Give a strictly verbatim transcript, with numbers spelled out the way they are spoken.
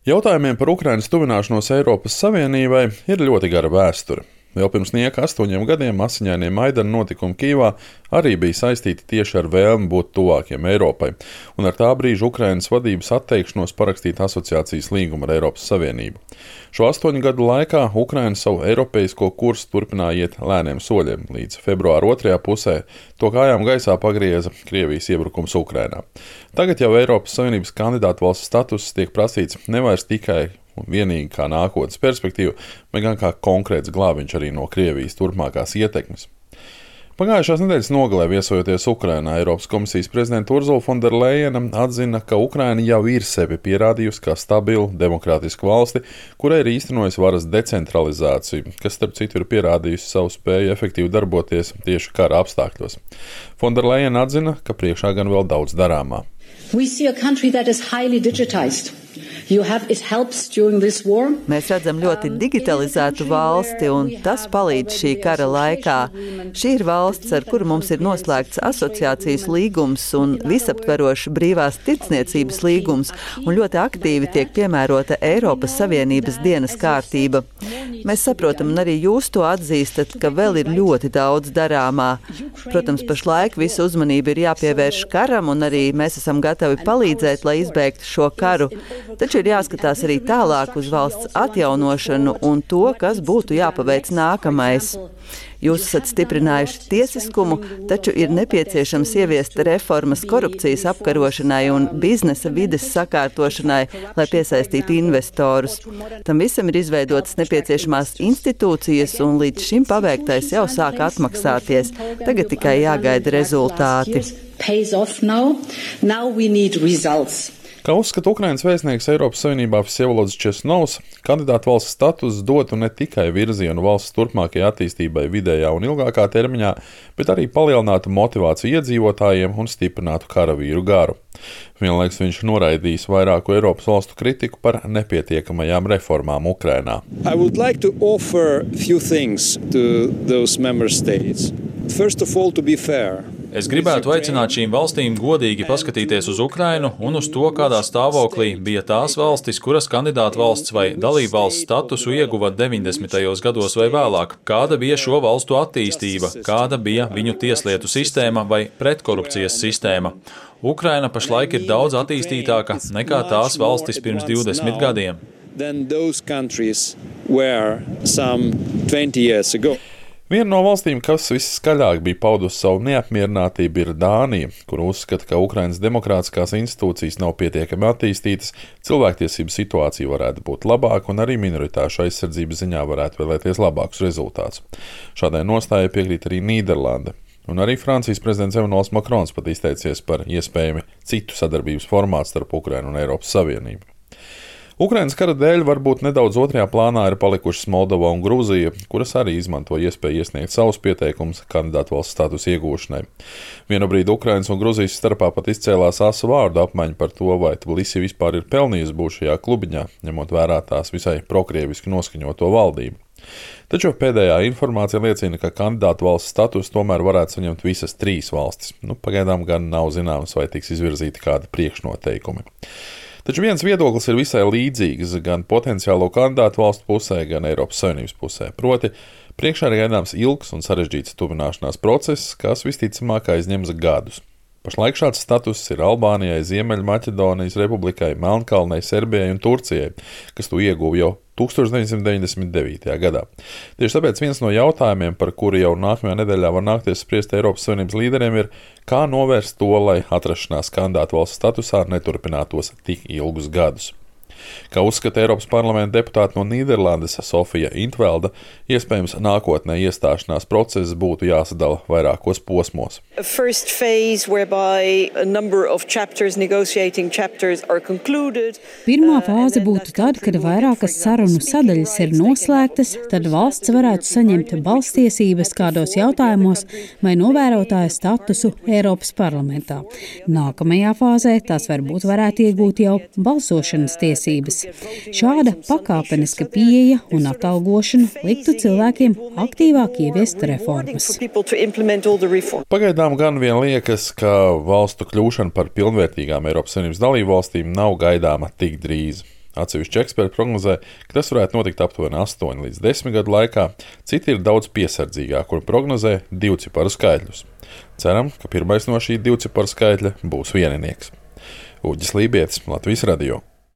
Jautājumiem par Ukrainas tuvināšanos Eiropas Savienībai ir ļoti gara vēsture. Vēl pirms nieka astoņiem gadiem asiņainie Maidana notikumi Kijevā arī bija saistīti tieši ar vēlmi būt tuvākiem Eiropai, un ar tā brīža Ukrainas vadības atteikšanos parakstīt asociācijas līgumu ar Eiropas Savienību. Šo astoņu gadu laikā Ukraina savu eiropeisko kursu turpināja iet lēniem soļiem, līdz februāra otrajā pusē to kājām gaisā pagrieza Krievijas iebrukums Ukrainā. Tagad jau Eiropas Savienības kandidātu valsts status tiek prasīts nevairs tikai un vienīgi kā nākotnes perspektīva, bet gan kā konkrēts glābiņš arī no Krievijas turpmākās ietekmes. Pagājušās nedēļas nogalē viesojoties Ukrainā, Eiropas komisijas prezidenta Ursula von der Leyena atzina, ka Ukraina jau ir sevi pierādījusi kā stabilu, demokrātisku valsti, kurai ir īstenojusi varas decentralizāciju, kas starp citu ir pierādījusi savu spēju efektīvi darboties tieši kara apstākļos. Von der Leyena atzina, ka priekšā gan vēl daudz darāmā. We see a country that is highly digitized. You have, it helps during this war. Mēs redzam ļoti digitalizētu valsti, un tas palīdz šī kara laikā. Šī ir valsts, ar kuru mums ir noslēgts asociācijas līgums un visaptverošs brīvās tirdzniecības līgums, un ļoti aktīvi tiek piemērota Eiropas Savienības dienas kārtība. Mēs saprotam, un arī jūs to atzīstat, ka vēl ir ļoti daudz darāmā. Protams, pašlaik visa uzmanība ir jāpievērš karam, un arī mēs esam gatavi palīdzēt, lai izbeigtu šo karu. Taču ir jāskatās arī tālāk uz valsts atjaunošanu un to, kas būtu jāpaveic nākamais. Jūs esat stiprinājuši tiesiskumu, taču ir nepieciešams ieviest reformas korupcijas apkarošanai un biznesa vides sakārtošanai, lai piesaistītu investorus. Tam visam ir izveidotas nepieciešamās institūcijas, un līdz šim paveiktais jau sāk atmaksāties. Tagad tikai jāgaida rezultāti. Kā uzskata Ukrainas vēstnieks Eiropas Savienībā Vsevolods Česnovs, kandidātu valsts status dotu ne tikai virzienu valsts turpmākajai attīstībai vidējā un ilgākā termiņā, bet arī palielinātu motivāciju iedzīvotājiem un stiprinātu karavīru garu. Vienlaikus viņš noraidījis vairāku Eiropas valstu kritiku par nepietiekamajām reformām Ukrainā. I would like to offer few things to those member states. First of all, to be fair. Es gribētu aicināt šīm valstīm godīgi paskatīties uz Ukrainu un uz to, kādā stāvoklī bija tās valstis, kuras kandidātu valsts vai dalībvalsts statusu ieguva deviņdesmitajos gados vai vēlāk. Kāda bija šo valstu attīstība, kāda bija viņu tieslietu sistēma vai pretkorupcijas sistēma. Ukraina pašlaik ir daudz attīstītāka nekā tās valstis pirms divdesmit gadiem. Viena no valstīm, kas visskaļāk bija paudusi savu neapmierinātību, ir Dānija, kur uzskata, ka Ukrainas demokrātiskās institūcijas nav pietiekami attīstītas, cilvēktiesību situācija varētu būt labāka un arī minoritāšu aizsardzības ziņā varētu vēlēties labākus rezultātus. Šādai nostājai piekrīt arī Nīderlande. Un arī Francijas prezidents Emmanuels Macrons pat izteicies par iespējami citu sadarbības formātu starp Ukrainu un Eiropas Savienību. Ukrainas kara dēļ varbūt nedaudz otrajā plānā ir palikušas Moldova un Grūzija, kuras arī izmanto iespēju iesniegt savus pieteikumus kandidātu valsts statusa iegūšanai. Vienu brīdi Ukrainas un Grūzijas starpā pat izcēlās asu vārdu apmaiņa par to, vai Tbilisi vispār ir pelnījusi būt šajā klubiņā, ņemot vērā tās visai prokrieviski noskaņoto valdību. Taču pēdējā informācija liecina, ka kandidātu valsts status tomēr varētu saņemt visas trīs valstis. Nu, pagaidām gan nav zināms, vai tiks izvirzīti kādi priekšnoteikumi. Taču viens viedoklis ir visai līdzīgs gan potenciālo kandidātu valstu pusē, gan Eiropas Savienības pusē. Proti, priekšā ir gaidāms ilgs un sarežģīts tuvināšanās process, kas visticamāk aizņems gadus. Pašlaik šāds status ir Albānijai, Ziemeļmaķedonijas republikai, Melnkalnei, Serbijai un Turcijai, kas to ieguva jau tūkstoš deviņsimt deviņdesmit devītajā gadā. Tieši tāpēc viens no jautājumiem, par kuru jau nākamajā nedēļā var nākties spriest Eiropas Savienības līderiem, ir, kā novērst to, lai atrašanās kandidātu valsts statusā neturpinātos tik ilgus gadus. Kā uzskata Eiropas parlamenta deputāte no Nīderlandes Sofija Intvelda, iespējams nākotnē iestāšanās process būtu jāsadala vairākos posmos. Pirmā fāze būtu tad, kad vairākas sarunu sadaļas ir noslēgtas, tad valsts varētu saņemt balstiesības kādos jautājumos vai novērotāja statusu Eiropas parlamentā. Nākamajā fāzē tās varbūt varētu iegūt jau balsošanas tiesības. Šāda pakāpeniska pieeja un atalgošana liktu cilvēkiem aktīvāk ieviest reformas. Pagaidām gan vien liekas, ka valstu kļūšana par pilnvērtīgām Eiropas Savienības dalību valstīm nav gaidāma tik drīz. Atsevišķi eksperti prognozē, ka tas varētu notikt aptuveni astoņi līdz desmit gadu laikā, citi ir daudz piesardzīgāki un prognozē divciparu skaitļus. Ceram, ka pirmais no šī divciparu skaitļa būs vieninieks. Uģis Lībietis, Latvijas radio.